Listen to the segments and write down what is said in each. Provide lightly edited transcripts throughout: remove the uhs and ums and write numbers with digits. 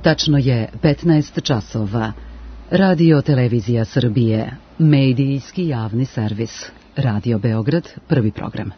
Tačno je 15 časova. Radio Televizija Srbije, medijski javni servis. Radio Beograd, prvi program.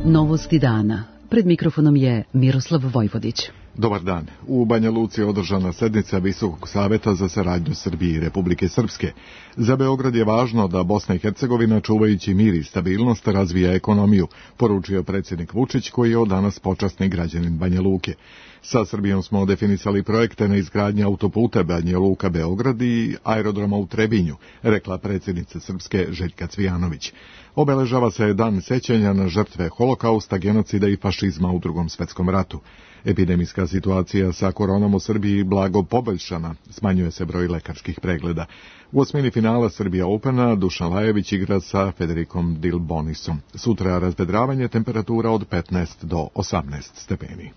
Novosti dana. Pred mikrofonom je Miroslav Vojvodić. Dobar dan. U Banja Luci je održana sednica Visokog saveta za saradnju Srbije i Republike Srpske. Za Beograd je važno da Bosna i Hercegovina, čuvajući mir i stabilnost, razvija ekonomiju, poručio predsjednik Vučić, koji je od danas počasni građanin Banja Luke. Sa Srbijom smo definisali projekte na izgradnji autoputa Banja Luka-Beograd i aerodroma u Trebinju, rekla predsjednica Srpske Željka Cvijanović. Obeležava se dan sećanja na žrtve holokausta, genocida i fašizma u Drugom svetskom ratu. Epidemijska situacija sa koronom u Srbiji blago poboljšana, smanjuje se broj lekarskih pregleda. U osmini finala Srbija Opena Dušan Lajević igra sa Federikom Dilbonisom. Sutra razvedravanje, temperatura od 15 do 18 stepeni.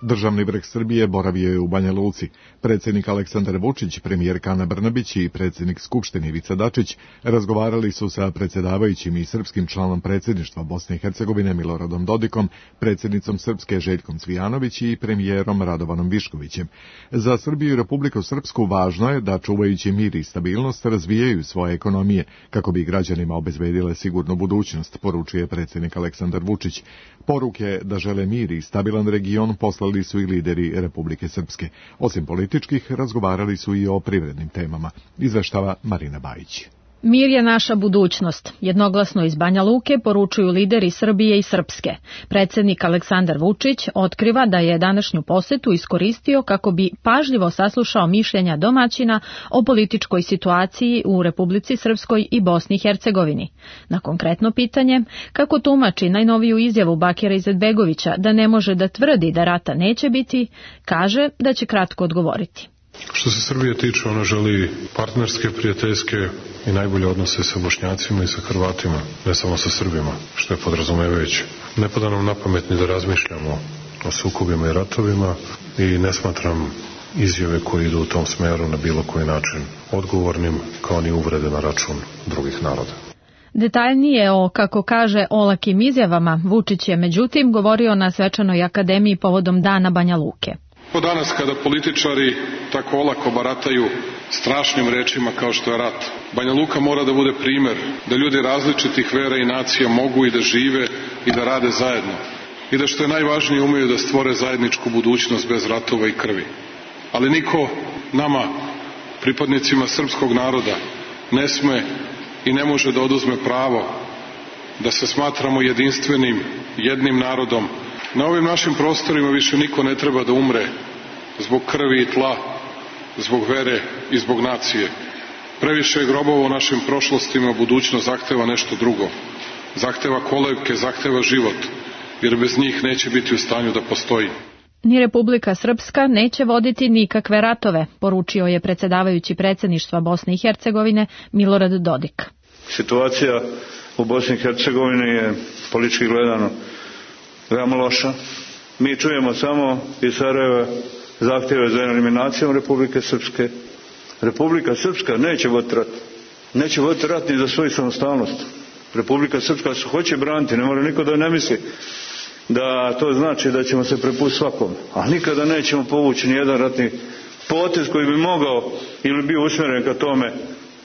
Državni vrh Srbije boravio je u Banja Luci. Predsjednik Aleksandar Vučić, premijerka Ana Brnabić i predsjednik Skupštine Ivica Dačić razgovarali su sa predsjedavajućim i srpskim članom predsjedništva Bosne i Hercegovine Miloradom Dodikom, predsjednicom Srpske Željkom Cvijanović i premijerom Radovanom Viškovićem. Za Srbiju i Republiku Srpsku važno je da, čuvajući mir i stabilnost, razvijaju svoje ekonomije kako bi građanima obezbedile sigurnu budućnost, poručuje predsjednik Aleksandar Vučić. Poruke da žele mir i stabilan region poslali su i lideri Republike Srpske. Osim političkih, razgovarali su i o privrednim temama, izveštava Marina Bajić. Mir je naša budućnost. Jednoglasno iz Banja Luke poručuju lideri Srbije i Srpske. Predsjednik Aleksandar Vučić otkriva da je današnju posetu iskoristio kako bi pažljivo saslušao mišljenja domaćina o političkoj situaciji u Republici Srpskoj i Bosni i Hercegovini. Na konkretno pitanje, kako tumači najnoviju izjavu Bakira Izetbegovića da ne može da tvrdi da rata neće biti, kaže da će kratko odgovoriti. Što se Srbije tiče, ona želi partnerske, prijateljske i najbolje odnose sa Bošnjacima i sa Hrvatima, ne samo sa Srbima, što je podrazumevajuće. Ne pada nam na pamet ni da razmišljamo o sukobima i ratovima i ne smatram izjave koje idu u tom smeru na bilo koji način odgovornim, kao ni uvrede na račun drugih naroda. Detaljnije o, kako kaže, olakim izjavama Vučić je međutim govorio na svečanoj akademiji povodom Dana Banja Luke. Danas kada političari tako olako barataju strašnim rečima kao što je rat, Banja Luka mora da bude primer da ljudi različitih vera i nacija mogu i da žive i da rade zajedno i da, što je najvažnije, umeju da stvore zajedničku budućnost bez ratova i krvi. Ali niko nama, pripadnicima srpskog naroda, ne sme i ne može da oduzme pravo da se smatramo jedinstvenim, jednim narodom. Na ovim našim prostorima više niko ne treba da umre zbog krvi i tla, zbog vere i zbog nacije. Previše je grobova u našim prošlostima, budućnost zahteva nešto drugo. Zahteva kolevke, zahteva život, jer bez njih neće biti u stanju da postoji. Ni Republika Srpska neće voditi nikakve ratove, poručio je predsjedavajući predsjedništva Bosne i Hercegovine Milorad Dodik. Situacija u Bosni i Hercegovini je politički gledano veoma loša. Mi čujemo samo iz Sarajeva zahtjeve za eliminacijom Republike Srpske. Republika Srpska neće voditi rat. Neće voditi rat ni za svoju samostalnost. Republika Srpska se hoće braniti, ne mora niko da ne misli da to znači da ćemo se prepustiti svakom. A nikada nećemo povući ni jedan ratni potez koji bi mogao ili bio usmjeren ka tome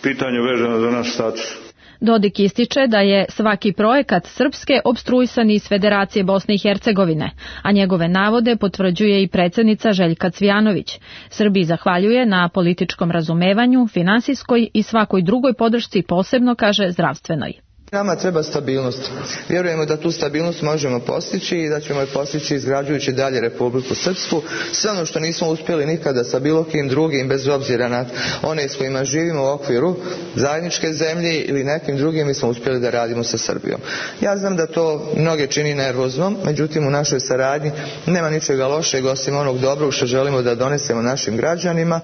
pitanju vezano za naš status. Dodik ističe da je svaki projekat Srpske opstruisan iz Federacije Bosne i Hercegovine, a njegove navode potvrđuje i predsjednica Željka Cvijanović. Srbiji zahvaljuje na političkom razumevanju, finansijskoj i svakoj drugoj podršci, posebno, kaže, zdravstvenoj. Nama treba stabilnost. Vjerujemo da tu stabilnost možemo postići i da ćemo je postići izgrađujući dalje Republiku Srpsku. Sve ono što nismo uspjeli nikada sa bilo kim drugim, bez obzira na one s kojima živimo u okviru zajedničke zemlje ili nekim drugim, mi smo uspjeli da radimo sa Srbijom. Ja znam da to mnoge čini nervoznom, međutim u našoj saradnji nema ničega lošeg osim onog dobrog što želimo da donesemo našim građanima.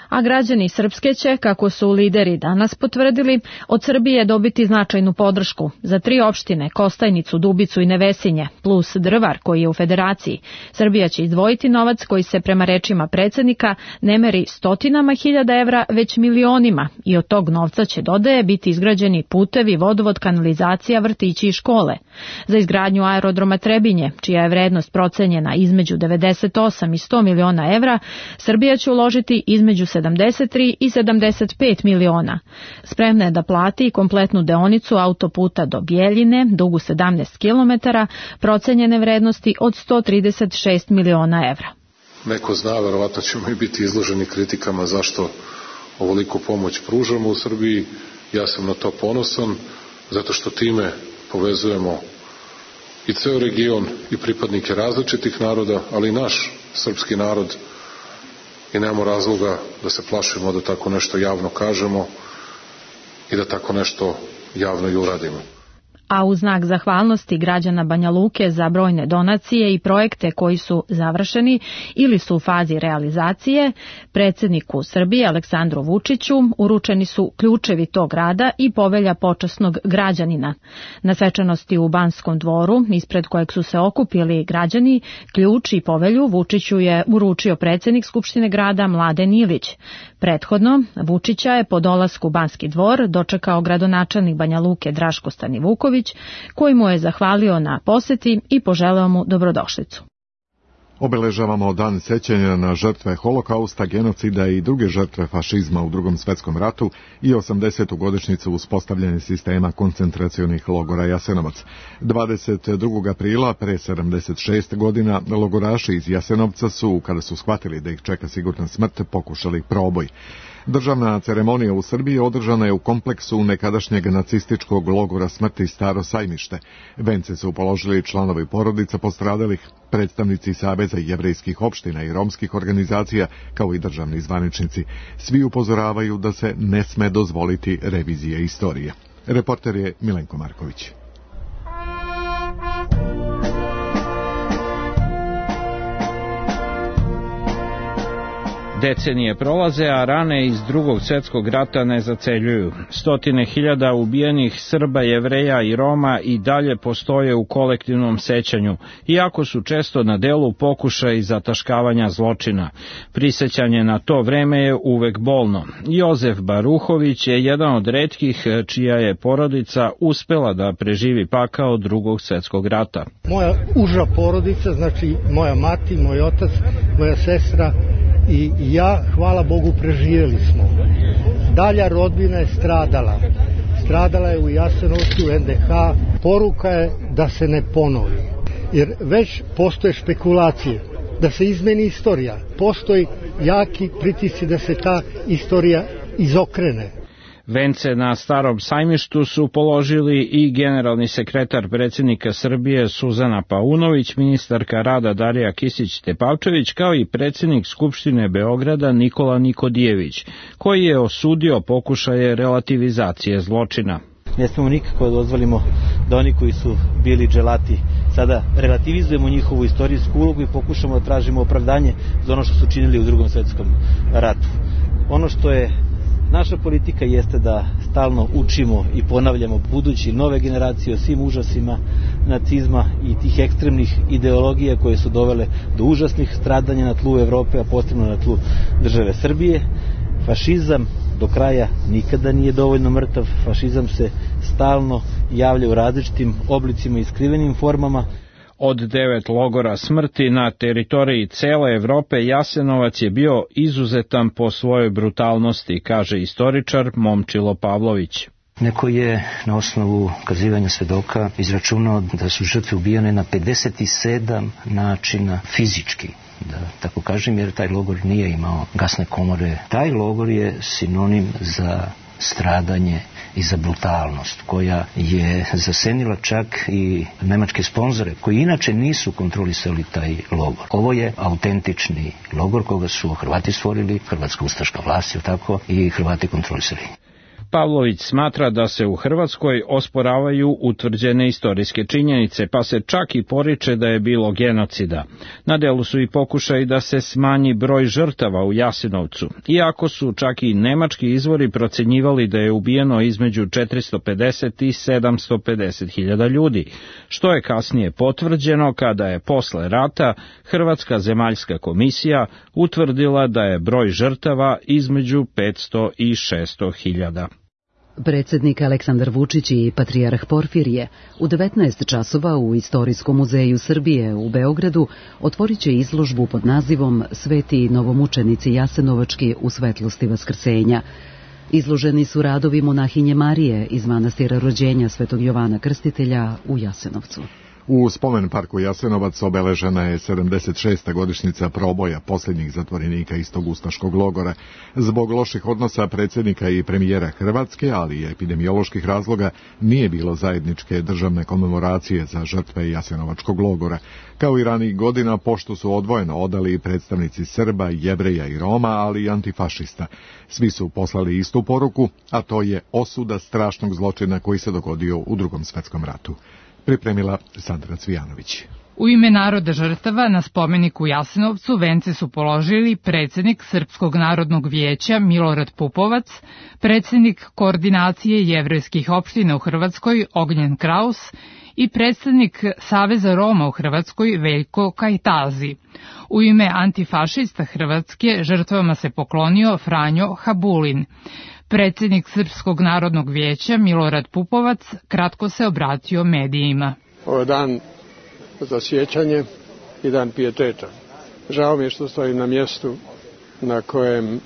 A građani Srpske će, kako su lideri danas potvrdili, od Srbije dobiti značajnu podršku. Za 3 opštine, Kostajnicu, Dubicu i Nevesinje, plus Drvar koji je u Federaciji, Srbija će izdvojiti novac koji se prema rečima predsjednika ne meri stotinama hiljada evra, već milionima, i od tog novca će, dodaje, biti izgrađeni putevi, vodovod, kanalizacija, vrtići i škole. Za izgradnju aerodroma Trebinje, čija je vrednost procenjena između 98 i 100 miliona evra, Srbija će uložiti između 73 i 75 miliona. Spremna je da plati kompletnu deonicu autoputa do Bjeljine, dugu 17 km, procenjene vrednosti od 136 miliona evra. Neko zna, verovatno ćemo i biti izloženi kritikama zašto ovoliku pomoć pružamo u Srbiji. Ja sam na to ponosan, zato što time povezujemo i ceo region i pripadnike različitih naroda, ali i naš srpski narod, i nemamo razloga da se plašimo da tako nešto javno kažemo i da tako nešto javno i uradimo. A u znak zahvalnosti građana Banja Luke za brojne donacije i projekte koji su završeni ili su u fazi realizacije, predsjedniku Srbije Aleksandru Vučiću uručeni su ključevi tog grada i povelja počasnog građanina. Na svečanosti u Banskom dvoru, ispred kojeg su se okupili građani, ključ i povelju Vučiću je uručio predsjednik Skupštine grada Mladen Ilić. Prethodno, Vučića je po dolasku u Banski dvor dočekao gradonačelnik Banja Luke Draško Stanivuković, koji mu je zahvalio na poseti i poželeo mu dobrodošlicu. Obeležavamo dan sećanja na žrtve holokausta, genocida i druge žrtve fašizma u Drugom svjetskom ratu i 80. godišnjicu uspostavljanja sistema koncentracionih logora Jasenovac. 22. aprila, pre 76 godina, logoraši iz Jasenovca su, kada su shvatili da ih čeka sigurna smrt, pokušali proboj. Državna ceremonija u Srbiji održana je u kompleksu nekadašnjeg nacističkog logora smrti Staro Sajmište. Vence su položili članovi porodica postradalih, predstavnici Saveza jevrejskih opština i romskih organizacija, kao i državni zvaničnici. Svi upozoravaju da se ne sme dozvoliti revizija istorije. Reporter je Milenko Marković. Decenije prolaze, a rane iz Drugog svjetskog rata ne zaceljuju. Stotine hiljada ubijenih Srba, Jevreja i Roma i dalje postoje u kolektivnom sećanju, iako su često na delu pokušaji zataškavanja zločina. Prisećanje na to vreme je uvek bolno. Jozef Baruhović je jedan od retkih čija je porodica uspela da preživi pakao Drugog svjetskog rata. Moja uža porodica, znači moja mati, moj otac, moja sestra i ja, hvala Bogu, preživjeli smo. Dalja rodbina je stradala. Stradala je u Jasenovcu, u NDH. Poruka je da se ne ponovi. Jer već postoje špekulacije da se izmeni istorija. Postoji jaki pritisci da se ta istorija izokrene. Vence na Starom sajmištu su položili i generalni sekretar predsjednika Srbije Suzana Paunović, ministarka rada Darija Kisić-Tepavčević, kao i predsjednik Skupštine Beograda Nikola Nikodijević, koji je osudio pokušaje relativizacije zločina. Ne smemo nikako da dozvolimo da oni koji su bili dželati sada relativizujemo njihovu istorijsku ulogu i pokušamo da tražimo opravdanje za ono što su činili u Drugom svjetskom ratu. Ono što je naša politika jeste da stalno učimo i ponavljamo budući nove generacije o svim užasima nacizma i tih ekstremnih ideologija koje su dovele do užasnih stradanja na tlu Evrope, a posebno na tlu države Srbije. Fašizam do kraja nikada nije dovoljno mrtav. Fašizam se stalno javlja u različitim oblicima i skrivenim formama. Od 9 logora smrti na teritoriji cele Evrope, Jasenovac je bio izuzetan po svojoj brutalnosti, kaže istoričar Momčilo Pavlović. Neko je na osnovu kazivanja svedoka izračunao da su žrtve ubijane na 57 načina fizički, da tako kažem, jer taj logor nije imao gasne komore. Taj logor je sinonim za stradanje i za brutalnost, koja je zasenila čak i nemačke sponzore, koji inače nisu kontrolisali taj logor. Ovo je autentični logor koga su Hrvati stvorili, hrvatska ustaška vlast, tako, i Hrvati kontrolisali. Pavlović smatra da se u Hrvatskoj osporavaju utvrđene istorijske činjenice, pa se čak i poriče da je bilo genocida. Na delu su i pokušaj da se smanji broj žrtava u Jasenovcu, iako su čak i nemački izvori procenjivali da je ubijeno između 450 i 750 hiljada ljudi, što je kasnije potvrđeno kada je posle rata Hrvatska zemaljska komisija utvrdila da je broj žrtava između 500 i 600 hiljada. Predsjednik Aleksandar Vučić i patrijarh Porfirije u 19 časova u Istorijskom muzeju Srbije u Beogradu otvorit će izložbu pod nazivom Sveti novomučenici Jasenovački u svetlosti vaskrsenja. Izloženi su radovi monahinje Marije iz manastira rođenja Svetog Jovana Krstitelja u Jasenovcu. U spomen parku Jasenovac obeležena je 76. godišnjica proboja posljednjih zatvorenika iz tog ustaškog logora. Zbog loših odnosa predsjednika i premijera Hrvatske, ali i epidemioloških razloga, nije bilo zajedničke državne komemoracije za žrtve Jasenovačkog logora. Kao i ranijih godina, poštu su odvojeno odali predstavnici Srba, Jevreja i Roma, ali i antifašista. Svi su poslali istu poruku, a to je osuda strašnog zločina koji se dogodio u Drugom svetskom ratu. Pripremila Sandra Cvijanović. U ime naroda žrtava na spomeniku u Jasenovcu vence su položili predsjednik Srpskog narodnog vijeća Milorad Pupovac, predsjednik koordinacije jevrejskih opština u Hrvatskoj Ognjen Kraus i predsjednik Saveza Roma u Hrvatskoj Veljko Kajtazi. U ime antifašista Hrvatske žrtvama se poklonio Franjo Habulin. Predsjednik Srpskog narodnog vijeća Milorad Pupovac kratko se obratio medijima. Ovo je dan za sjećanje i dan pijeteta. Žao mi je što stojim na mjestu na kojem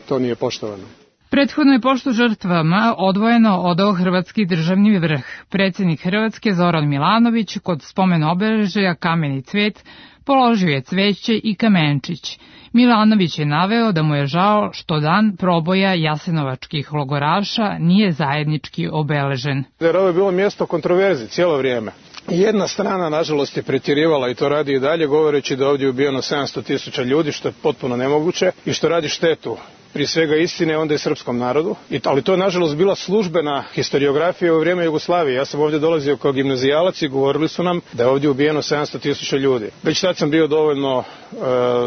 to nije poštovano. Prethodno je poštu žrtvama odvojeno odao Hrvatski državni vrh. Predsjednik Hrvatske Zoran Milanović kod spomen obeležja Kameni cvet položio je cveće i kamenčić. Milanović je naveo da mu je žao što dan proboja jasenovačkih logoraša nije zajednički obeležen. Jer ovo je bilo mjesto kontroverzi cijelo vrijeme. Jedna strana, nažalost, je pretjerivala i to radi i dalje, govoreći da ovdje je ubijeno 700.000 ljudi, što je potpuno nemoguće i što radi štetu prije svega istine, onda i srpskom narodu. Ali to je, nažalost, bila službena historiografija u vrijeme Jugoslavije. Ja sam ovdje dolazio kao gimnazijalac i govorili su nam da je ovdje ubijeno 700.000 ljudi. Već tad sam bio dovoljno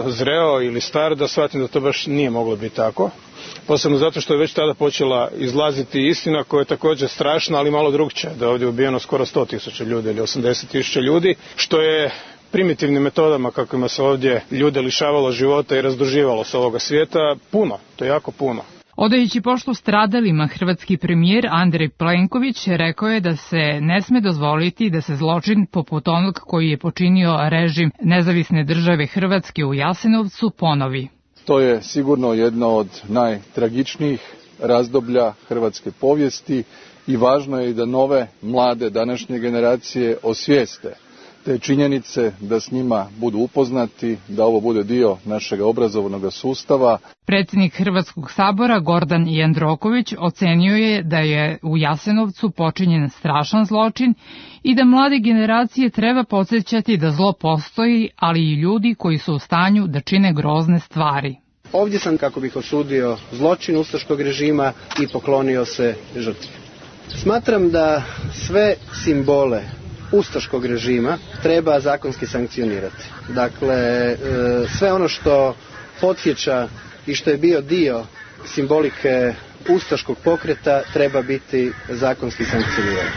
zreo ili star da shvatim da to baš nije moglo biti tako. Posebno zato što je već tada počela izlaziti istina koja je također strašna, ali malo drugčija. Da je ovdje ubijeno skoro 100.000 ljudi ili 80.000 ljudi, što je primitivnim metodama kakvima se ovdje ljude lišavalo života i razduživalo sa ovoga svijeta puno, to je jako puno. Odajući poštu stradalima, hrvatski premijer Andrej Plenković rekao je da se ne sme dozvoliti da se zločin poput onog koji je počinio režim Nezavisne države Hrvatske u Jasenovcu ponovi. To je sigurno jedno od najtragičnijih razdoblja hrvatske povijesti i važno je i da nove, mlade, današnje generacije osvijeste te činjenice, da s njima budu upoznati, da ovo bude dio našeg obrazovnog sustava. Predsjednik Hrvatskog sabora Gordan Jandroković ocenio je da je u Jasenovcu počinjen strašan zločin i da mlade generacije treba podsjećati da zlo postoji, ali i ljudi koji su u stanju da čine grozne stvari. Ovdje sam kako bih osudio zločin ustaškog režima i poklonio se žrtvi. Smatram da sve simbole ustaškog režima treba zakonski sankcionirati. Dakle, sve ono što podsjeća i što je bio dio simbolike ustaškog pokreta treba biti zakonski sankcioniran.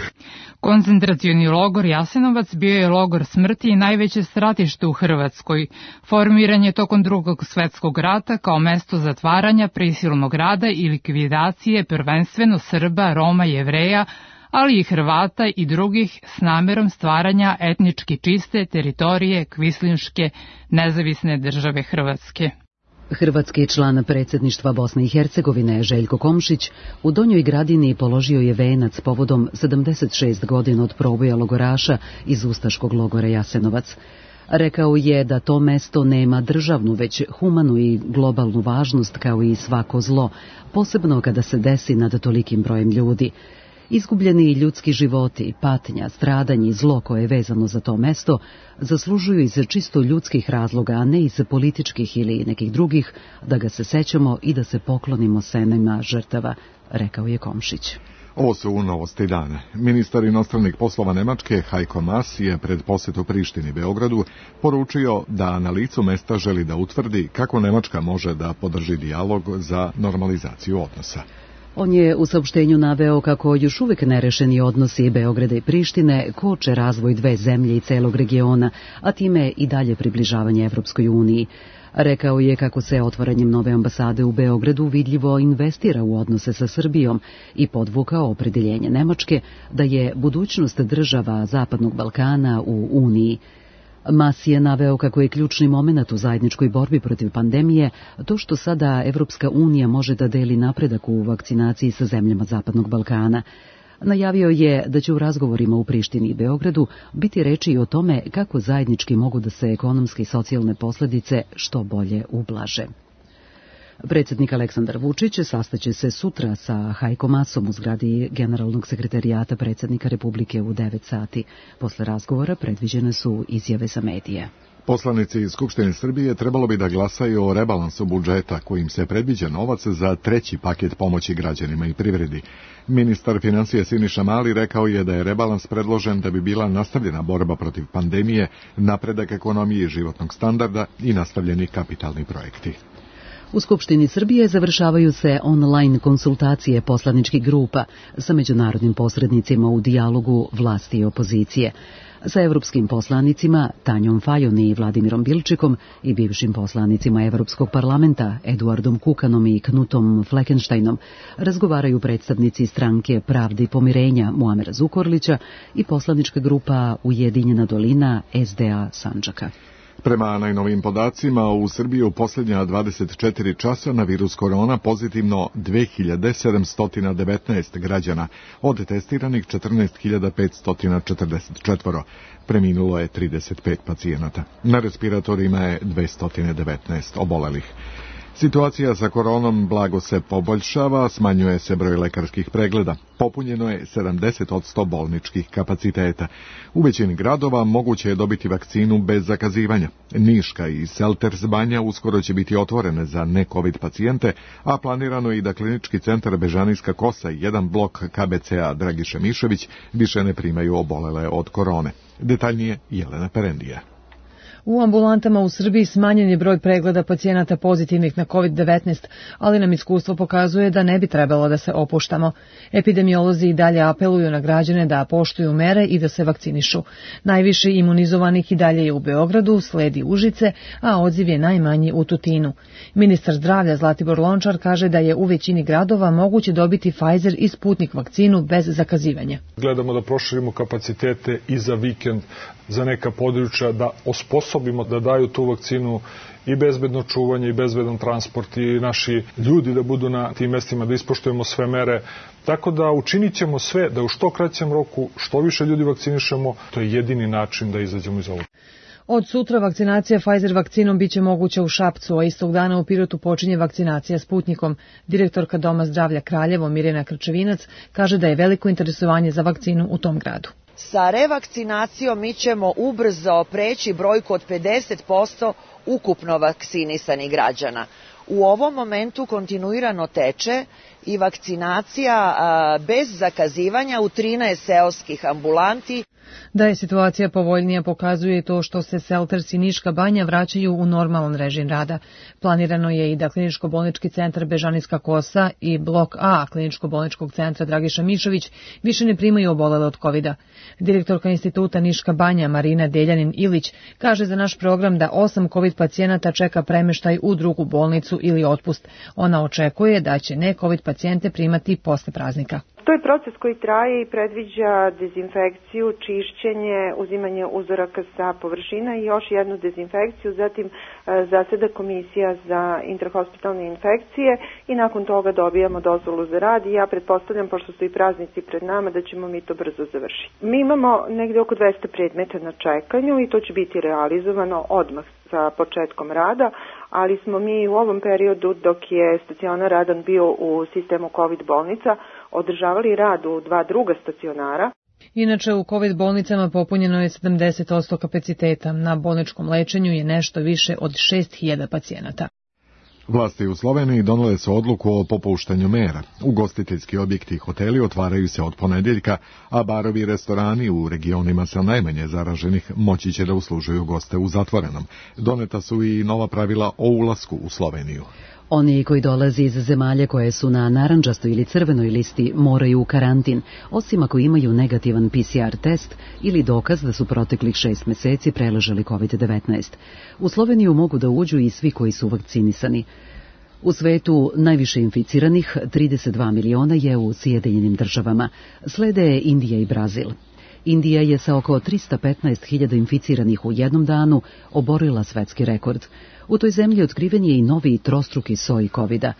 Koncentracioni logor Jasenovac bio je logor smrti i najveće stratište u Hrvatskoj. Formiran je tokom Drugog svjetskog rata kao mesto zatvaranja, prisilnog rada i likvidacije prvenstveno Srba, Roma, Jevreja, ali i Hrvata i drugih s namerom stvaranja etnički čiste teritorije Kvislinške nezavisne države Hrvatske. Hrvatski član predsjedništva Bosne i Hercegovine Željko Komšić u Donjoj Gradini položio je venac povodom 76 godina od proboja logoraša iz ustaškog logora Jasenovac. Rekao je da to mesto nema državnu, već humanu i globalnu važnost kao i svako zlo, posebno kada se desi nad tolikim brojem ljudi. Izgubljeni ljudski životi, patnja, stradanje i zlo koje je vezano za to mesto zaslužuju iz čisto ljudskih razloga, a ne iz političkih ili nekih drugih, da ga se sećamo i da se poklonimo senima žrtava, rekao je Komšić. Ovo su novosti dana. Ministar inostranih poslova Nemačke Heiko Maas je pred posetu Prištini Beogradu poručio da na licu mesta želi da utvrdi kako Nemačka može da podrži dijalog za normalizaciju odnosa. On je u saopštenju naveo kako još uvek nerešeni odnosi Beograda i Prištine koče razvoj dve zemlje i celog regiona, a time i dalje približavanje Evropskoj uniji. Rekao je kako se otvaranjem nove ambasade u Beogradu vidljivo investira u odnose sa Srbijom i podvukao opredeljenje Nemačke da je budućnost država Zapadnog Balkana u Uniji. Maas je naveo kako je ključni moment u zajedničkoj borbi protiv pandemije to što sada Evropska unija može da deli napredak u vakcinaciji sa zemljama Zapadnog Balkana. Najavio je da će u razgovorima u Prištini i Beogradu biti reči i o tome kako zajednički mogu da se ekonomske i socijalne posledice što bolje ublaže. Predsjednik Aleksandar Vučić sastaće se sutra sa Heiko Maasom u zgradi Generalnog sekretarijata predsjednika Republike u 9 sati. Posle razgovora predviđene su izjave za medije. Poslanici iz Skupštine Srbije trebalo bi da glasaju o rebalansu budžeta kojim se predviđa novac za treći paket pomoći građanima i privredi. Ministar financija Siniša Mali rekao je da je rebalans predložen da bi bila nastavljena borba protiv pandemije, napredak ekonomije i životnog standarda i nastavljeni kapitalni projekti. U Skupštini Srbije završavaju se online konsultacije poslaničkih grupa sa međunarodnim posrednicima u dijalogu vlasti i opozicije. Sa evropskim poslanicima Tanjom Fajon i Vladimirom Bilčikom i bivšim poslanicima Evropskog parlamenta Eduardom Kukanom i Knutom Fleckensteinom razgovaraju predstavnici stranke Pravde i pomirenja Muamera Zukorlića i poslanička grupa Ujedinjena dolina SDA Sandžaka. Prema najnovim podacima, u Srbiji u posljednja 24 časa na virus korona pozitivno 2719 građana, od testiranih 14.544. Preminulo je 35 pacijenata. Na respiratorima je 219 obolelih. Situacija sa koronom blago se poboljšava, smanjuje se broj lekarskih pregleda. Popunjeno je 70% bolničkih kapaciteta. U većini gradova moguće je dobiti vakcinu bez zakazivanja. Niška i Selters Banja uskoro će biti otvorene za ne-covid pacijente, a planirano je i da klinički centar Bežanijska Kosa i jedan blok KBC-a Dragiša Mišević više ne primaju obolele od korone. Detaljnije Jelena Perendija. U ambulantama u Srbiji smanjen je broj pregleda pacijenata pozitivnih na COVID-19, ali nam iskustvo pokazuje da ne bi trebalo da se opuštamo. Epidemiolozi i dalje apeluju na građane da poštuju mere i da se vakcinišu. Najviše imunizovanih i dalje je u Beogradu, sledi Užice, a odziv je najmanji u Tutinu. Ministar zdravlja Zlatibor Lončar kaže da je u većini gradova moguće dobiti Pfizer i Sputnik vakcinu bez zakazivanja. Gledamo da proširimo kapacitete i za vikend, za neka područja, da osposobimo da daju tu vakcinu i bezbedno čuvanje i bezbedan transport i naši ljudi da budu na tim mestima, da ispoštujemo sve mere. Tako da učinit ćemo sve da u što kraćem roku što više ljudi vakcinišemo, to je jedini način da izađemo iz ovoga. Od sutra vakcinacija Pfizer vakcinom biće moguća u Šapcu, a istog dana u Pirotu počinje vakcinacija Sputnikom. Direktorka Doma zdravlja Kraljevo Mirjana Krčevinac kaže da je veliko interesovanje za vakcinu u tom gradu. Sa revakcinacijom mi ćemo ubrzo preći brojku od 50% ukupno vakcinisanih građana. U ovom momentu kontinuirano teče i vakcinacija bez zakazivanja u 13 seoskih ambulanti. Da je situacija povoljnija pokazuje to što se Selters i Niška Banja vraćaju u normalan režim rada. Planirano je i da kliničko-bolnički centar Bežanijska Kosa i blok A kliničko-bolničkog centra Dragiša Mišović više ne primaju obolele od COVID-a. Direktorka instituta Niška Banja Marina Deljanin-Ilić kaže za naš program da 8 COVID pacijenata čeka premeštaj u drugu bolnicu ili otpust. Ona očekuje da će ne COVID pacijente primati posle praznika. To je proces koji traje i predviđa dezinfekciju, čišćenje, uzimanje uzoraka sa površina i još jednu dezinfekciju, zatim zaseda komisija za intrahospitalne infekcije i nakon toga dobijamo dozvolu za rad i ja pretpostavljam, pošto su i praznici pred nama, da ćemo mi to brzo završiti. Mi imamo negde oko 200 predmeta na čekanju i to će biti realizovano odmah sa početkom rada, ali smo mi u ovom periodu, dok je stacionar radan bio u sistemu COVID bolnica, održavali rad u 2 druga stacionara. Inače, u COVID bolnicama popunjeno je 70% kapaciteta. Na bolničkom lečenju je nešto više od 6.000 pacijenata. Vlasti u Sloveniji donele su odluku o popuštanju mera. Ugostiteljski objekti i hoteli otvaraju se od ponedjeljka, a barovi i restorani u regionima sa najmanje zaraženih moći će da uslužuju goste u zatvorenom. Doneta su i nova pravila o ulasku u Sloveniju. Oni koji dolaze iz zemalja koje su na narandžastoj ili crvenoj listi moraju u karantin, osim ako imaju negativan PCR test ili dokaz da su proteklih 6 meseci preležali COVID-19. U Sloveniju mogu da uđu i svi koji su vakcinisani. U svetu najviše inficiranih, 32 miliona, je u Sjedinjenim Državama. Slede Indija i Brazil. Indija je sa oko 315.000 inficiranih u jednom danu oborila svetski rekord. U toj zemlji otkriven je i novi trostruki soj COVID-a.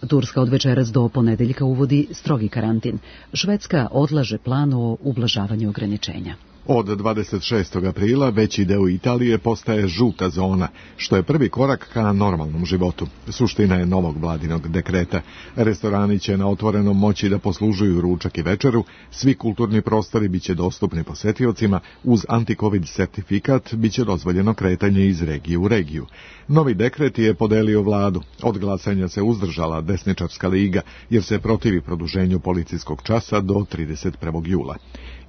Turska od večeras do ponedeljka uvodi strogi karantin. Švedska odlaže plan o ublažavanju ograničenja. Od 26. aprila veći deo Italije postaje žuta zona, što je prvi korak ka normalnom životu. Suština je novog vladinog dekreta. Restorani će na otvorenom moći da poslužuju ručak i večeru, svi kulturni prostori biće dostupni posetiocima, uz anti-covid sertifikat biće dozvoljeno kretanje iz regije u regiju. Novi dekret je podelio vladu. Od glasanja se uzdržala desničarska liga, jer se protivi produženju policijskog časa do 31. jula.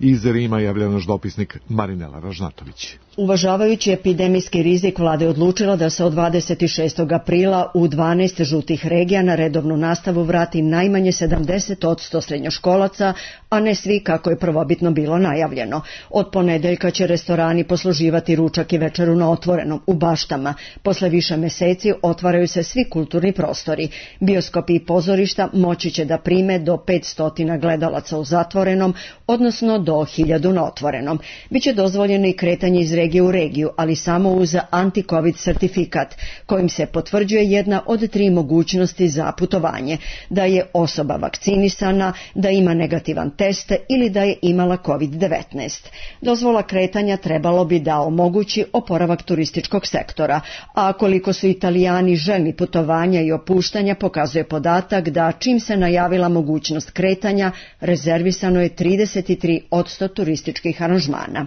Iz Rima javlja naš dopisnik Marinela Ražnatović. Uvažavajući epidemijski rizik, vlada je odlučila da se od 26. aprila u 12 žutih regija na redovnu nastavu vrati najmanje 70% srednjoškolaca, a ne svi kako je prvobitno bilo najavljeno. Od ponedeljka će restorani posluživati ručak i večeru na otvorenom, u baštama. Posle više meseci otvaraju se svi kulturni prostori. Bioskopi i pozorišta moći će da prime do 500 gledalaca u zatvorenom, odnosno do 1000 na otvorenom. Biće dozvoljeno i kretanje iz regije u regiju, ali samo uz anti-covid sertifikat, kojim se potvrđuje jedna od 3 mogućnosti za putovanje: da je osoba vakcinisana, da ima negativan test ili da je imala COVID-19. Dozvola kretanja trebalo bi da omogući oporavak turističkog sektora, a koliko su Italijani željni putovanja i opuštanja pokazuje podatak da čim se najavila mogućnost kretanja, rezervisano je 33% turističkih aranžmana.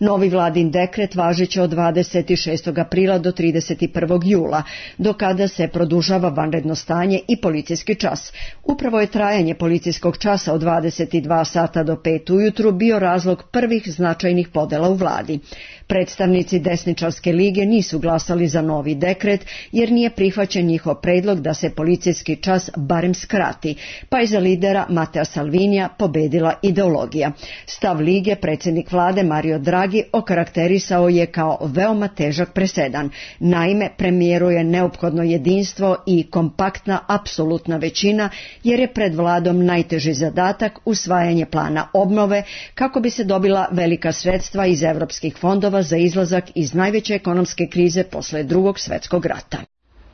Novi vladin dekret važiće od 26. aprila do 31. jula, do kada se produžava vanredno stanje i policijski čas. Upravo je trajanje policijskog časa od 22 sata do 5 ujutru bio razlog prvih značajnih podela u vladi. Predstavnici desničarske lige nisu glasali za novi dekret, jer nije prihvaćen njihov predlog da se policijski čas barem skrati, pa je za lidera Matea Salvinija pobedila ideologija. Stav lige predsjednik vlade Mario Draghi okarakterisao je kao veoma težak presedan. Naime, premijeru je neophodno jedinstvo i kompaktna apsolutna većina, jer je pred vladom najteži zadatak usvajanje plana obnove kako bi se dobila velika sredstva iz evropskih fondova za izlazak iz najveće ekonomske krize posle Drugog svjetskog rata.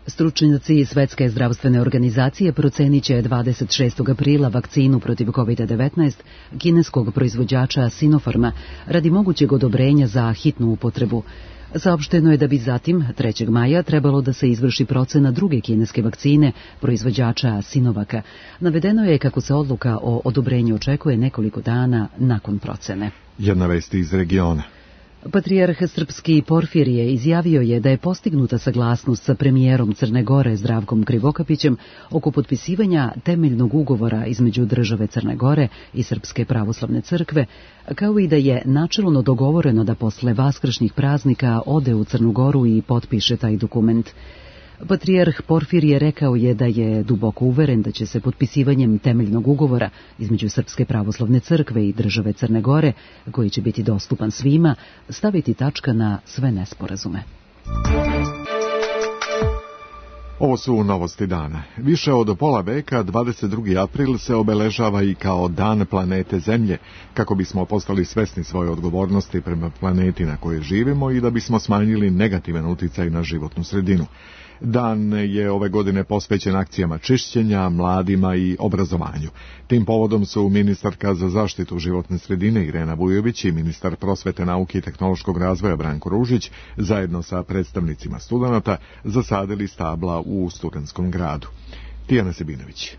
Stručnjaci Svetske zdravstvene organizacije procenit će 26. aprila vakcinu protiv COVID-19 kineskog proizvođača Sinopharma radi mogućeg odobrenja za hitnu upotrebu. Saopšteno je da bi zatim 3. maja trebalo da se izvrši procena druge kineske vakcine proizvođača Sinovaka. Navedeno je kako se odluka o odobrenju očekuje nekoliko dana nakon procene. Jedna vest iz regiona. Patrijarh srpski Porfirije izjavio je da je postignuta saglasnost sa premijerom Crne Gore Zdravkom Krivokapićem oko potpisivanja temeljnog ugovora između države Crne Gore i Srpske pravoslavne crkve, kao i da je načelno dogovoreno da posle vaskršnjih praznika ode u Crnu Goru i potpiše taj dokument. Patrijarh Porfirije rekao je da je duboko uveren da će se potpisivanjem temeljnog ugovora između Srpske pravoslavne crkve i države Crne Gore, koji će biti dostupan svima, staviti tačka na sve nesporazume. Ovo su novosti dana. Više od pola veka, 22. april se obeležava i kao dan planete Zemlje, kako bismo postali svesni svoje odgovornosti prema planeti na kojoj živimo i da bismo smanjili negativan uticaj na životnu sredinu. Dan je ove godine posvećen akcijama čišćenja, mladima i obrazovanju. Tim povodom su ministarka za zaštitu životne sredine Irena Vujović i ministar prosvete, nauke i tehnološkog razvoja Branko Ružić zajedno sa predstavnicima studenata zasadili stabla u Studentskom gradu. Tijana Sebinović.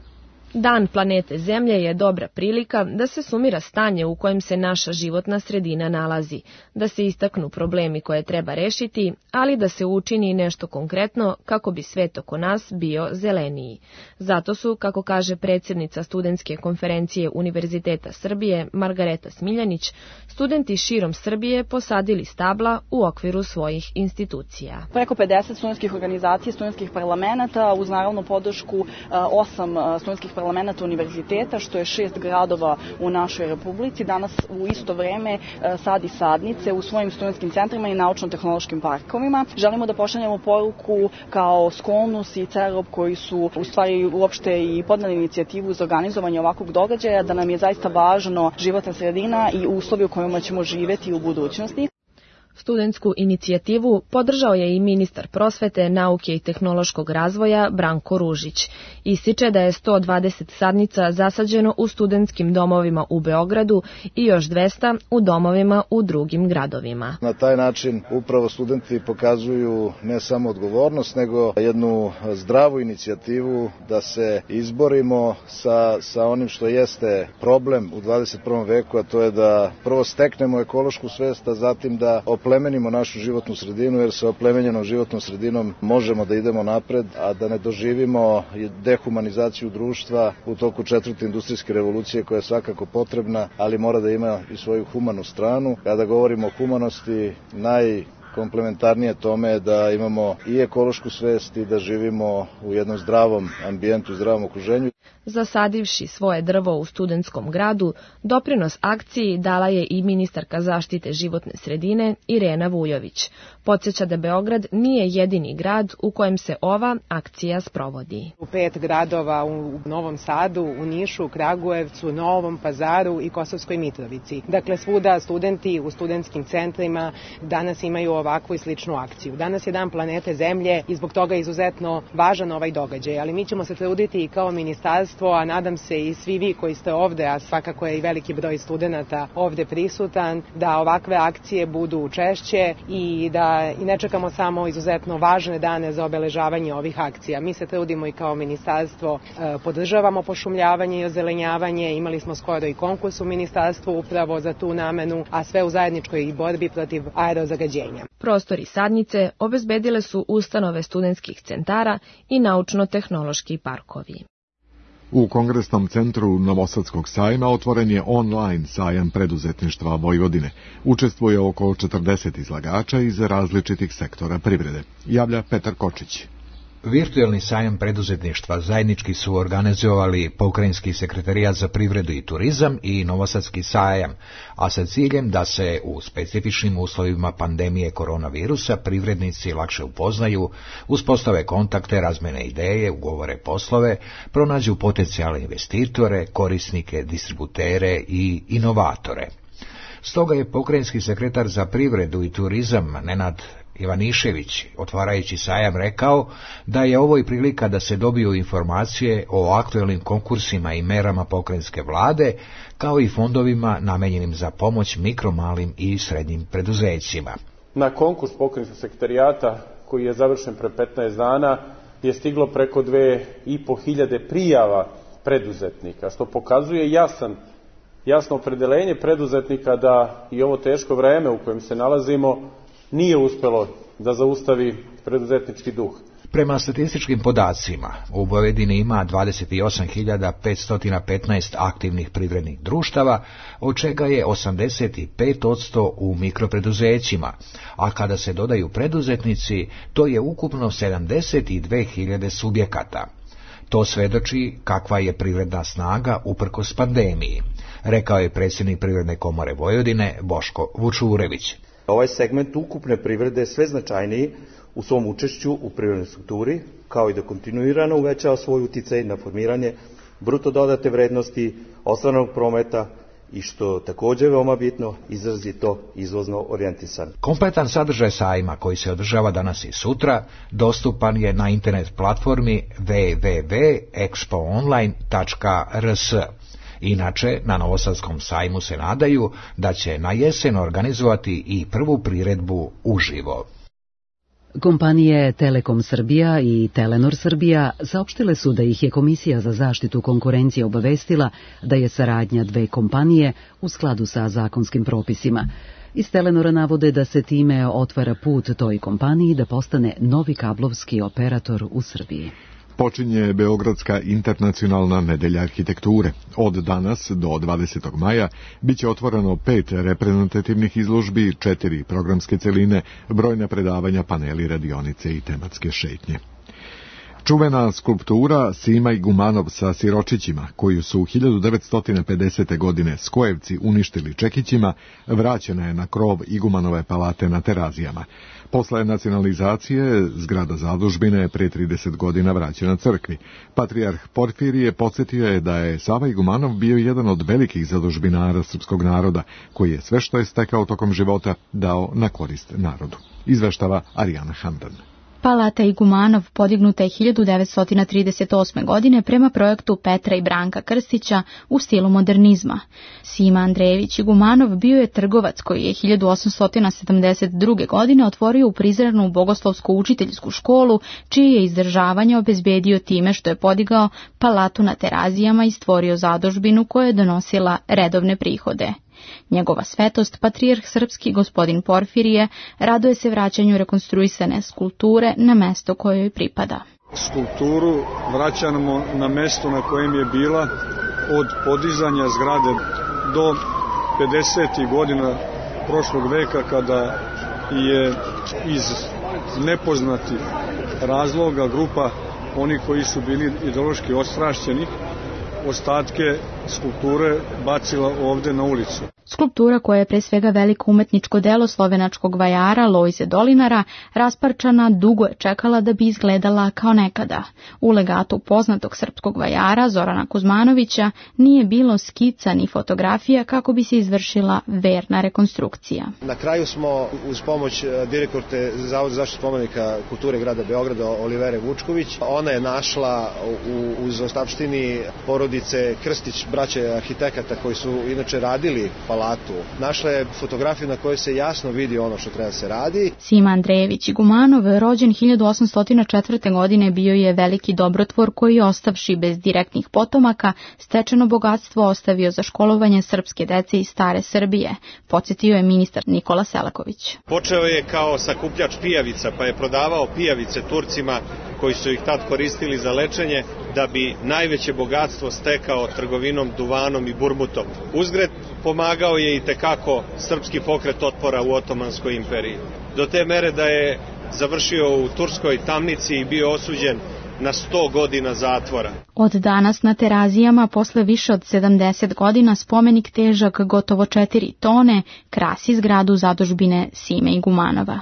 Dan planete Zemlje je dobra prilika da se sumira stanje u kojem se naša životna sredina nalazi, da se istaknu problemi koje treba rešiti, ali da se učini nešto konkretno kako bi svet oko nas bio zeleniji. Zato su, kako kaže predsjednica Studentske konferencije Univerziteta Srbije Margareta Smiljanić, studenti širom Srbije posadili stabla u okviru svojih institucija. Preko 50 studentskih organizacija, studentskih parlamenta, uz naravno podršku 8 studentskih parlamenta univerziteta, što je 6 gradova u našoj republici, danas u isto vreme sadi sadnice u svojim studentskim centrima i naučno-tehnološkim parkovima. Želimo da pošaljemo poruku kao Skolnus i CEROB koji su u stvari uopšte i podneli inicijativu za organizovanje ovakvog događaja, da nam je zaista važno životna sredina i uslovi u kojima ćemo živeti u budućnosti. Studentsku inicijativu podržao je i ministar prosvete, nauke i tehnološkog razvoja Branko Ružić. Ističe da je 120 sadnica zasađeno u studentskim domovima u Beogradu i još 200 u domovima u drugim gradovima. Na taj način upravo studenti pokazuju ne samo odgovornost, nego jednu zdravu inicijativu da se izborimo sa onim što jeste problem u 21. veku, a to je da prvo steknemo ekološku svest, a zatim da oplemenimo našu životnu sredinu, jer sa oplemenjenom životnom sredinom možemo da idemo napred, a da ne doživimo dehumanizaciju društva u toku 4. industrijske revolucije, koja je svakako potrebna, ali mora da ima i svoju humanu stranu. Kada govorimo o humanosti, komplementarnije tome je da imamo i ekološku svest i da živimo u jednom zdravom ambijentu, zdravom okruženju. Zasadivši svoje drvo u studentskom gradu, doprinos akciji dala je i ministarka zaštite životne sredine Irena Vujović. Podsjeća da Beograd nije jedini grad u kojem se ova akcija sprovodi. U 5 gradova u Novom Sadu, u Nišu, Kragujevcu, Novom Pazaru i Kosovskoj Mitrovici. Dakle, svuda studenti u studentskim centrima danas imaju ovakvu i sličnu akciju. Danas je Dan planete Zemlje i zbog toga je izuzetno važan ovaj događaj, ali mi ćemo se truditi i kao ministarstvo, a nadam se i svi vi koji ste ovde, a svakako je i veliki broj studenata ovde prisutan, da ovakve akcije budu češće i da ne čekamo samo izuzetno važne dane za obeležavanje ovih akcija. Mi se trudimo i kao ministarstvo, podržavamo pošumljavanje i ozelenjavanje, imali smo skoro i konkurs u ministarstvu upravo za tu namenu, a sve u zajedničkoj borbi protiv aerozagađenja. Prostori sadnice obezbedile su ustanove studentskih centara i naučno-tehnološki parkovi. U Kongresnom centru Novosadskog sajma otvoren je online sajam preduzetništva Vojvodine. Učestvuje oko 40 izlagača iz različitih sektora privrede. Javlja Petar Kočić. Virtuelni sajam preduzetništva zajednički su organizovali Pokrajinski sekretarijat za privredu i turizam i Novosadski sajam, a sa ciljem da se u specifičnim uslovima pandemije koronavirusa privrednici lakše upoznaju, uspostave kontakte, razmene ideje, ugovore poslove, pronađu potencijalne investitore, korisnike, distributere i inovatore. Stoga je pokrajinski sekretar za privredu i turizam Nenad Ivanišević, otvarajući sajam, rekao da je ovo i prilika da se dobiju informacije o aktuelnim konkursima i merama pokrajinske vlade, kao i fondovima namenjenim za pomoć mikro, malim i srednjim preduzećima. Na konkurs pokrajinskog sekretarijata, koji je završen pre 15 dana, je stiglo preko 2.500 prijava preduzetnika, što pokazuje jasno opredeljenje preduzetnika da i ovo teško vreme u kojem se nalazimo nije uspelo da zaustavi preduzetnički duh. Prema statističkim podacima, u Vojvodini ima 28.515 aktivnih privrednih društava, od čega je 85% u mikropreduzećima, a kada se dodaju preduzetnici, to je ukupno 72.000 subjekata. To svedoči kakva je privredna snaga uprkos pandemiji, rekao je predsjednik Privredne komore Vojvodine Boško Vučurević. Ovaj segment ukupne privrede je sve značajniji u svom učešću u privrednoj strukturi, kao i da kontinuirano uvećava svoj uticaj na formiranje bruto dodate vrednosti, ostvarenog prometa i što također veoma bitno, izrazito izvozno orijentisan. Kompletan sadržaj sajma, koji se održava danas i sutra, dostupan je na internet platformi www.expoonline.rs. Inače, na Novosadskom sajmu se nadaju da će na jesen organizovati i prvu priredbu uživo. Kompanije Telekom Srbija i Telenor Srbija saopštile su da ih je Komisija za zaštitu konkurencije obavestila da je saradnja dve kompanije u skladu sa zakonskim propisima. Iz Telenora navode da se time otvara put toj kompaniji da postane novi kablovski operator u Srbiji. Počinje Beogradska internacionalna nedelja arhitekture. Od danas do 20. maja biće otvoreno 5 reprezentativnih izložbi, 4 programske celine, brojna predavanja, paneli, radionice i tematske šetnje. Čuvena skulptura Sima Igumanov sa siročićima, koju su 1950. godine Skojevci uništili čekićima, vraćena je na krov Igumanove palate na Terazijama. Posle nacionalizacije, zgrada zadužbine je pre 30 godina vraćena crkvi. Patrijarh Porfirije podsjetio je da je Sava Igumanov bio jedan od velikih zadužbinara srpskog naroda, koji je sve što je stekao tokom života dao na korist narodu. Izveštava Arijana Handan. Palata Igumanov podignuta je 1938. godine prema projektu Petra i Branka Krstića u stilu modernizma. Sima Andrejević Igumanov bio je trgovac koji je 1872. godine otvorio u Prizrenu bogoslovsku učiteljsku školu, čije je izdržavanje obezbedio time što je podigao palatu na Terazijama i stvorio zadužbinu koja je donosila redovne prihode. Njegova svetost, patrijarh srpski gospodin Porfirije, raduje se vraćanju rekonstruisane skulpture na mesto koje joj pripada. Skulpturu vraćamo na mesto na kojem je bila od podizanja zgrade do 50. godina prošlog veka, kada je iz nepoznatih razloga grupa oni koji su bili ideološki ostrašćeni ostatke skulpture bacila ovde na ulicu. Skulptura, koja je pre svega veliko umetničko delo slovenačkog vajara Lojze Dolinara, rasparčana, dugo je čekala da bi izgledala kao nekada. U legatu poznatog srpskog vajara Zorana Kuzmanovića nije bilo skica ni fotografija kako bi se izvršila verna rekonstrukcija. Na kraju smo uz pomoć direktorke Zavoda za zaštitu spomenika kulture grada Beograda Olivere Vučković, ona je našla uz ostavštini porodice Krstić, braće arhitekata koji su inače radili palatu. Našla je fotografiju na kojoj se jasno vidi ono što treba se radi. Sima Andrejević Igumanov, rođen 1804. godine, bio je veliki dobrotvor koji, ostavši bez direktnih potomaka, stečeno bogatstvo ostavio za školovanje srpske dece iz stare Srbije, podsjetio je ministar Nikola Selaković. Počeo je kao sakupljač pijavica, pa je prodavao pijavice Turcima koji su ih tad koristili za lečenje, da bi najveće bogatstvo stekao trgovinom, duvanom i burmutom. Uzgred pomagao je i tekako srpski pokret otpora u Otomanskoj imperiji. Do te mere da je završio u turskoj tamnici i bio osuđen na 100 godina zatvora. Od danas na Terazijama, posle više od 70 godina, spomenik težak gotovo 4 tone krasi zgradu zadužbine Sime Igumanova.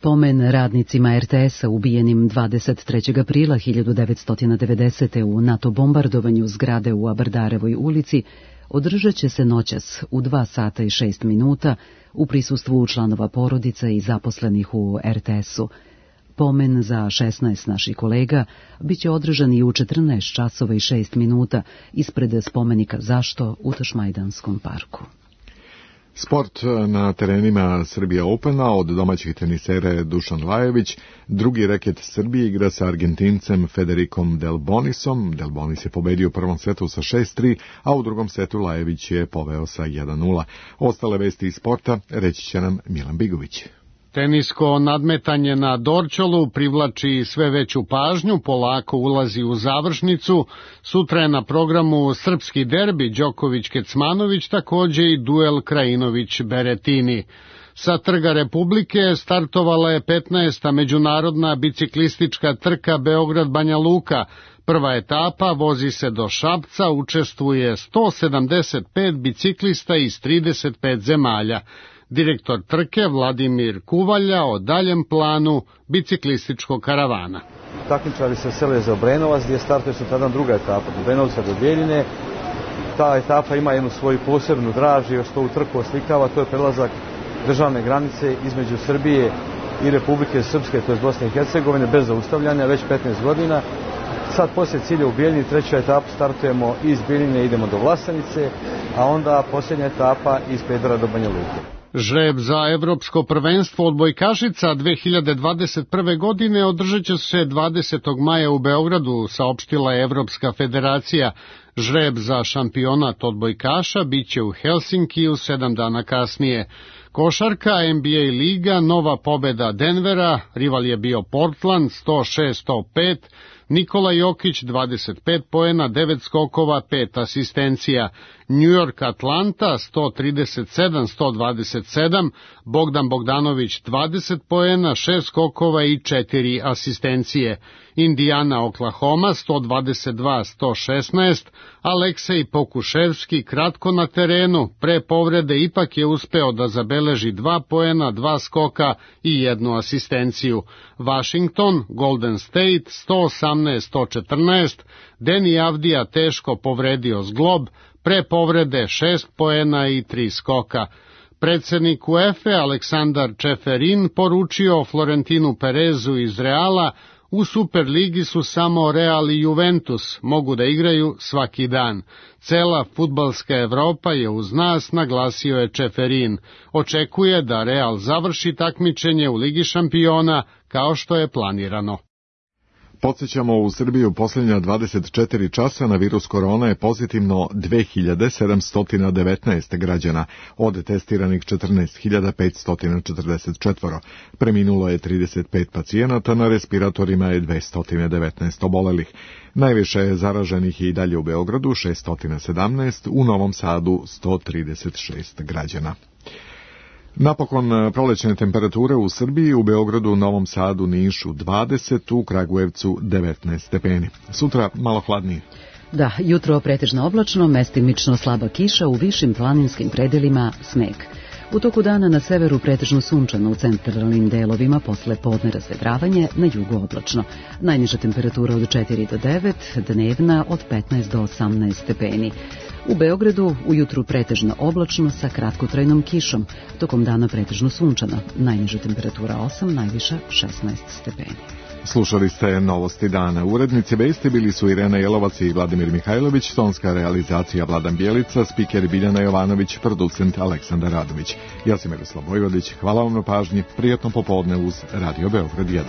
Pomen radnicima RTS-a ubijenim 23. aprila 1990. u NATO bombardovanju zgrade u Abardarevoj ulici održat će se noćas u 2 sata i 6 minuta u prisustvu članova porodica i zaposlenih u RTS-u. Pomen za 16 naših kolega biće održan i u 14 časova i 6 minuta ispred spomenika Zašto u Tašmajdanskom parku. Sport na terenima Srbija Opena od domaćih tenisera Dušan Lajović. Drugi reket Srbije igra sa Argentincem Federikom Delbonisom. Delbonis je pobedio u prvom setu sa 6-3, a u drugom setu Lajović je poveo sa 1-0. Ostale vesti iz sporta reći će nam Milan Bigović. Tenisko nadmetanje na Dorćolu privlači sve veću pažnju, polako ulazi u završnicu. Sutra je na programu srpski derbi Đoković-Kecmanović, takođe i duel Krajinović-Beretini. Sa Trga Republike startovala je 15. međunarodna biciklistička trka Beograd-Banja Luka. Prva etapa vozi se do Šapca, učestvuje 175 biciklista iz 35 zemalja. Direktor trke Vladimir Kuvalja o daljem planu biciklističkog karavana. Takmičari se sele za Obrenovac, gdje startuje sutradan druga etapa, od Obrenovca do Bjeljine. Ta etapa ima jednu svoju posebnu draž i što u trku oslikava, to je prelazak državne granice između Srbije i Republike Srpske, to je Bosne i Hercegovine, bez zaustavljanja, već 15 godina. Sad poslije cilja u Bijeljini, treću etapu startujemo iz Bjeljine, idemo do Vlasenice, a onda posljednja etapa iz Pedara do Banja Luke. Žreb za Evropsko prvenstvo odbojkašica 2021. godine održat će se 20. maja u Beogradu, saopštila je Evropska federacija. Žreb za šampionat odbojkaša biće u Helsinkiju 7 dana kasnije. Košarka, NBA liga, nova pobeda Denvera, rival je bio Portland 106-105, Nikola Jokić 25 poena, 9 skokova, 5 asistencija. New York Atlanta 137-127, Bogdan Bogdanović 20 poena, 6 skokova i 4 asistencije. Indiana Oklahoma 122-116, Aleksej Pokuševski kratko na terenu, pre povrede ipak je uspeo da zabeleži 2 poena, 2 skoka i 1 asistenciju. Washington, Golden State 118-114, Deni Avdija teško povredio zglob, pre povrede 6 poena i 3 skoka. Predsednik UEFA Aleksandar Čeferin poručio Florentinu Perezu iz Reala: u Superligi su samo Real i Juventus, mogu da igraju svaki dan. Cela fudbalska Evropa je uz nas, naglasio je Čeferin. Očekuje da Real završi takmičenje u Ligi šampiona kao što je planirano. Podsjećamo, u Srbiju posljednja 24 časa na virus korona je pozitivno 2719 građana, od testiranih 14544. Preminulo je 35 pacijenata, na respiratorima je 219 obolelih. Najviše je zaraženih i dalje u Beogradu 617, u Novom Sadu 136 građana. Napokon prolećne temperature u Srbiji, u Beogradu, Novom Sadu, Nišu 20, u Kragujevcu 19 stepeni. Sutra malo hladnije. Da, jutro pretežno oblačno, mestimično slaba kiša, u višim planinskim predelima sneg. U toku dana na severu pretežno sunčano, u centralnim delovima posle podne razvedravanje, na jugu oblačno. Najniža temperatura od 4 do 9, dnevna od 15 do 18 stepeni. U Beogradu ujutru pretežno oblačno sa kratkotrajnom kišom, tokom dana pretežno sunčano. Najniža temperatura 8, najviša 16 stepeni. Slušali ste Novosti dana. Urednici vesti bili su Irena Jelovac i Vladimir Mihajlović, tonska realizacija Vladan Bjelica, spiker Biljana Jovanović, producent Aleksandar Radović. Ja sam Miroslav Vojvodić, hvala vam na pažnji, prijatno popodne uz Radio Beograd 1.